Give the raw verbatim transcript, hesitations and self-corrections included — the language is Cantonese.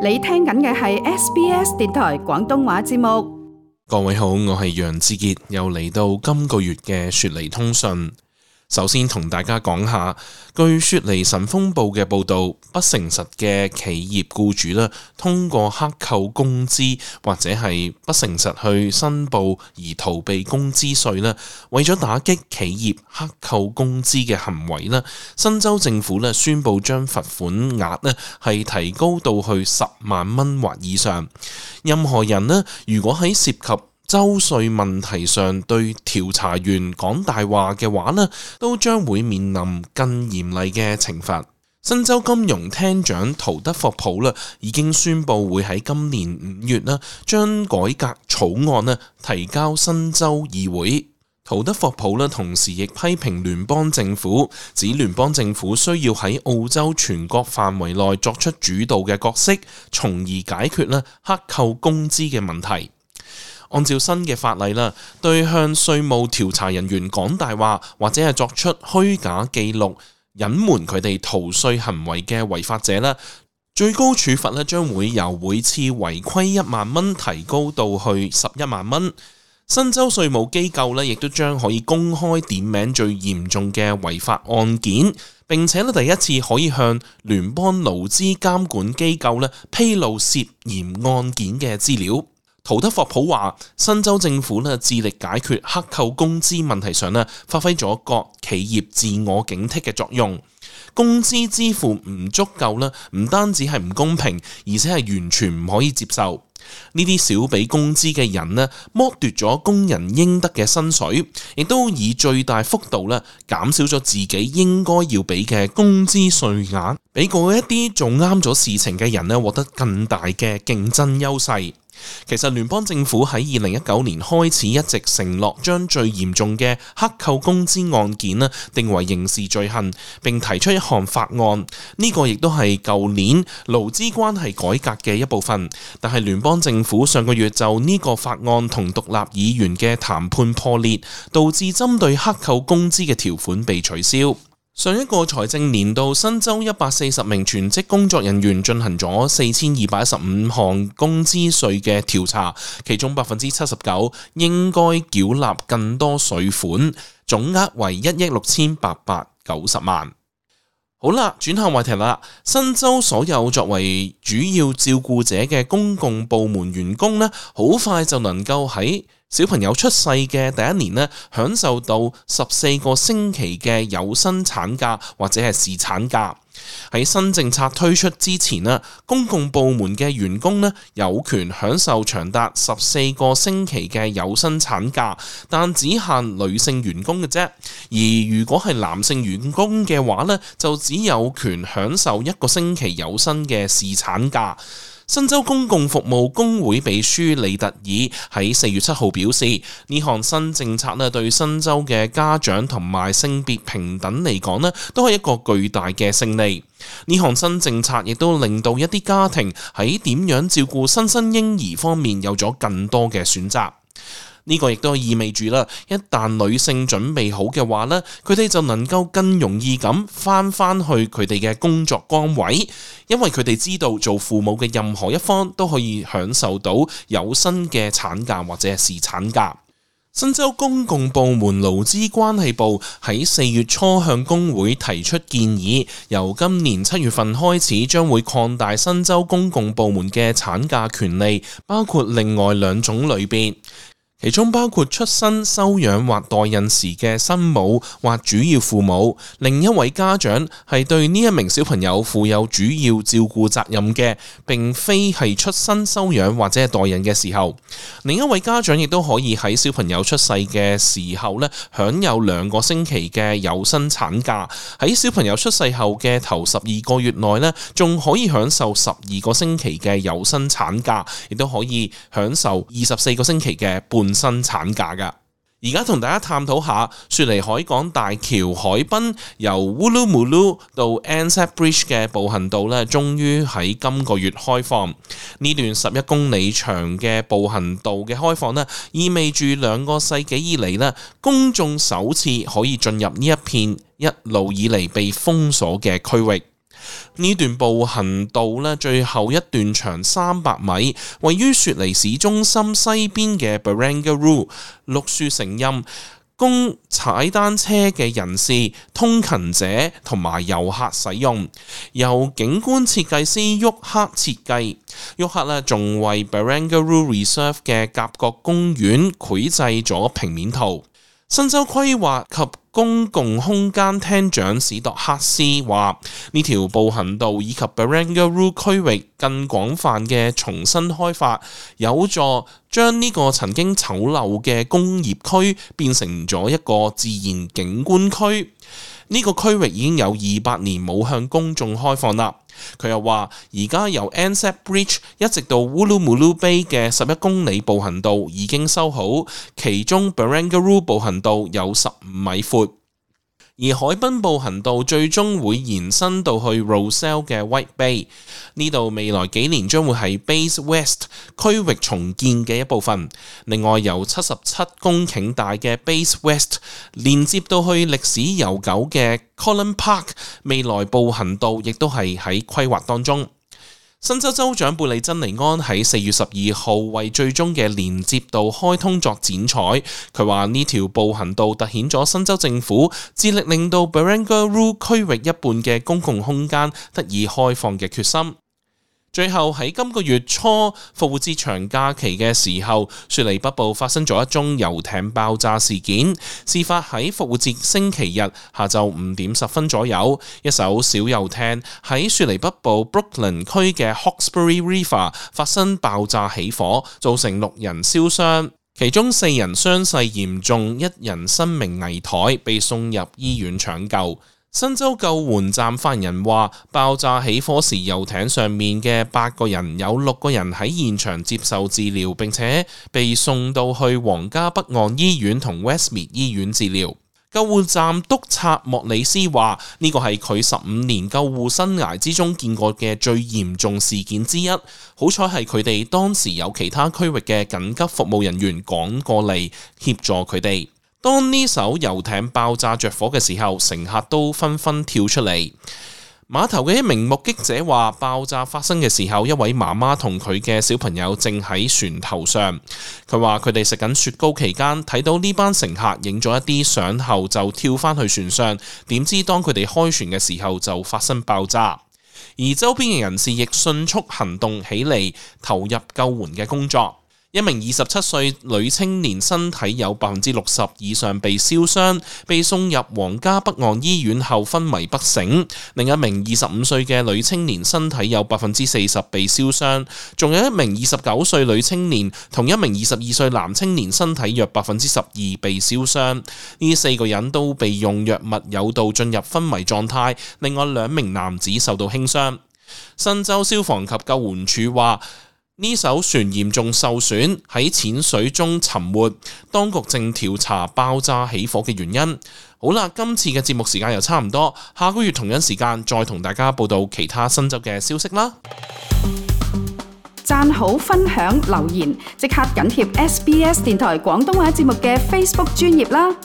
你聽緊嘅係 S B S 電台廣東話節目。各位好，我係楊志傑，又嚟到今個月嘅雪梨通訊。首先同大家講下，據雪梨晨鋒報嘅報導，不誠實嘅企業僱主啦，通過克扣工資或者係不誠實去申報而逃避工資稅啦，為咗打擊企業克扣工資嘅行為啦，新州政府咧宣布將罰款額咧係提高到去十萬蚊或以上。任何人咧，如果喺涉及州稅問題上對調查員講大話嘅話呢，都將會面臨更嚴厲嘅懲罰。新州金融廳長陶德霍普啦已經宣布會喺今年五月啦將改革草案呢提交新州議會。陶德霍普呢同時亦批評聯邦政府，指聯邦政府需要喺澳洲全國範圍內作出主導嘅角色，從而解決呢克扣工資嘅問題。按照新嘅法例啦，對向稅務調查人員講大話或者係作出虛假記錄、隱瞞佢哋逃稅行為嘅違法者啦，最高處罰咧將會由每次違規一萬蚊提高到去十一萬蚊。新州稅務機構咧亦都將可以公開點名最嚴重嘅違法案件，並且咧第一次可以向聯邦勞資監管機構咧披露涉嫌案件嘅資料。陶德霍普話：新州政府咧致力解決克扣工資問題上咧，發揮咗各企業自我警惕嘅作用。工資支付唔足夠咧，唔單止係唔公平，而且係完全唔可以接受。呢啲少俾工資嘅人咧，剝奪咗工人應得嘅薪水，亦都以最大幅度咧減少咗自己應該要俾嘅工資稅額，俾過一啲做啱咗事情嘅人咧獲得更大嘅競爭優勢。其實聯邦政府喺二零一九年開始一直承諾將最嚴重嘅克扣工資案件呢定為刑事罪行，並提出一項法案。呢個亦都係舊年勞資關係改革嘅一部分。但係聯邦政府上個月就呢個法案同獨立議員嘅談判破裂，導致針對克扣工資嘅條款被取消。上一個財政年度，新州一百四十名全職工作人員進行咗四千二百一十五項工資稅嘅調查，其中百分之七十九應該繳納更多稅款，總額為一億六千八百九十萬。好啦，轉下話題啦。新州所有作為主要照顧者嘅公共部門員工呢，好快就能夠喺小朋友出世嘅第一年呢，享受到十四個星期嘅有薪產假或者係侍產假。喺新政策推出之前呢，公共部門嘅員工呢有權享受長達十四個星期嘅有薪產假，但只限女性員工嘅啫。而如果係男性員工嘅話呢，就只有權享受一個星期有薪嘅侍產假。新州公共服務工會秘書李特爾喺四月七號表示，呢項新政策咧對新州嘅家長同埋性別平等嚟講咧，都係一個巨大嘅勝利。呢項新政策亦都令到一啲家庭喺點樣照顧新生嬰兒方面有咗更多嘅選擇。呢個亦都意味住啦，一旦女性準備好嘅話呢，佢哋就能夠更容易咁翻翻去佢哋嘅工作崗位，因為佢哋知道做父母嘅任何一方都可以享受到有薪嘅產假或者係侍產假。新州公共部門勞資關係部喺四月初向工會提出建議，由今年七月份開始將會擴大新州公共部門嘅產假權利，包括另外兩種類別。其中包括出生、收養或代孕時嘅生母或主要父母，另一位家長係對呢一名小朋友負有主要照顧責任嘅，並非係出生、收養或者係代孕嘅時候。另一位家長亦都可以喺小朋友出世嘅時候咧，享有兩個星期嘅有薪產假。喺小朋友出世後嘅頭十二個月內咧，仲可以享受十二個星期嘅有薪產假，亦都可以享受二十四個星期嘅半新產假噶。而家同大家探討下雪梨海港大橋海濱由 Woolloomooloo 到 Anzac Bridge 嘅步行道咧，終於喺今個月開放。呢段十一公里長嘅步行道嘅開放咧，意味住兩個世紀以嚟咧，公眾首次可以進入呢一片一路以嚟被封鎖嘅區域。呢段步行道呢，最後一段長三百米，位於雪梨市中心西邊嘅 Barangaroo， 綠樹成蔭，供踩單車嘅人士、通勤者同埋遊客使用，由景觀設計師沃克設計。沃克呢仲為 Barangaroo Reserve 嘅夾角公園繪製咗平面圖。新州規劃及公共空間廳長史度克斯話：呢條步行道以及 Barangaroo 區域更廣泛嘅重新開發，有助將呢個曾經醜陋嘅工業區變成咗一個自然景觀區。呢個區域已經有二百年冇向公眾開放啦。佢又話：而家由 Anzac Bridge 一直到 Woolloomooloo Bay 嘅十一公里步行道已經修好，其中 Barangaroo 步行道有十五米闊。而海濱步行道最終會延伸到去 Rozelle 嘅 White Bay， 呢度未來幾年將會係 Bays West 區域重建嘅一部分。另外由七十七公頃大嘅 Bays West 連接到去歷史悠久嘅 Collin Park， 未來步行道亦都係喺規劃當中。新州州長貝利珍尼安喺四月十二號為最終嘅連接道開通作剪彩，佢話呢條步行道凸顯咗新州政府致力令到 Barangaroo 區域一半嘅公共空間得以開放嘅決心。最後喺今個月初復活節長假期嘅時候，雪梨北部發生咗一宗遊艇爆炸事件。事發喺復活節星期日下晝五點十分左右，一艘小遊艇喺雪梨北部 Brookland 區嘅 Hawkesbury River 發生爆炸起火，造成六人燒傷，其中四人傷勢嚴重，一人生命危殆，被送入醫院搶救。新州救援站發言人話，爆炸起火時遊艇上面嘅八個人有六個人喺現場接受治療，並且被送到去皇家北岸醫院同 Westmead 醫院治療。救護站督察莫里斯話，呢個係佢十五年救護生涯之中見過嘅最嚴重事件之一。好彩係佢哋當時有其他區域嘅緊急服務人員趕過嚟協助佢哋。當呢艘遊艇爆炸着火嘅時候，乘客都紛紛跳出嚟。碼頭嘅一名目擊者話，爆炸發生嘅時候，一位媽媽同佢嘅小朋友正喺船頭上。佢話佢哋食緊雪糕期間，睇到呢班乘客影咗一啲相後就跳返去船上，點知當佢哋開船嘅時候就發生爆炸。而周邊嘅人士亦迅速行動起嚟，投入救援嘅工作。一名二十七歲女青年身體有百分之六十以上被燒傷，被送入皇家北岸醫院後昏迷不醒。另一名二十五歲嘅女青年身體有百分之四十被燒傷，仲有一名二十九歲女青年同一名二十二歲男青年身體約百分之十二被燒傷。呢四個人都被用藥物誘導進入昏迷狀態，另外兩名男子受到輕傷。新州消防及救援署話，呢艘船嚴重受損，喺淺水中沉沒，當局正調查爆炸起火嘅原因。好啦，今次嘅節目時間又差唔多，下個月同樣時間再同大家報道其他新州嘅消息啦。讚好、分享、留言，即刻緊貼 S B S 電台廣東話節目嘅 Facebook 專頁啦！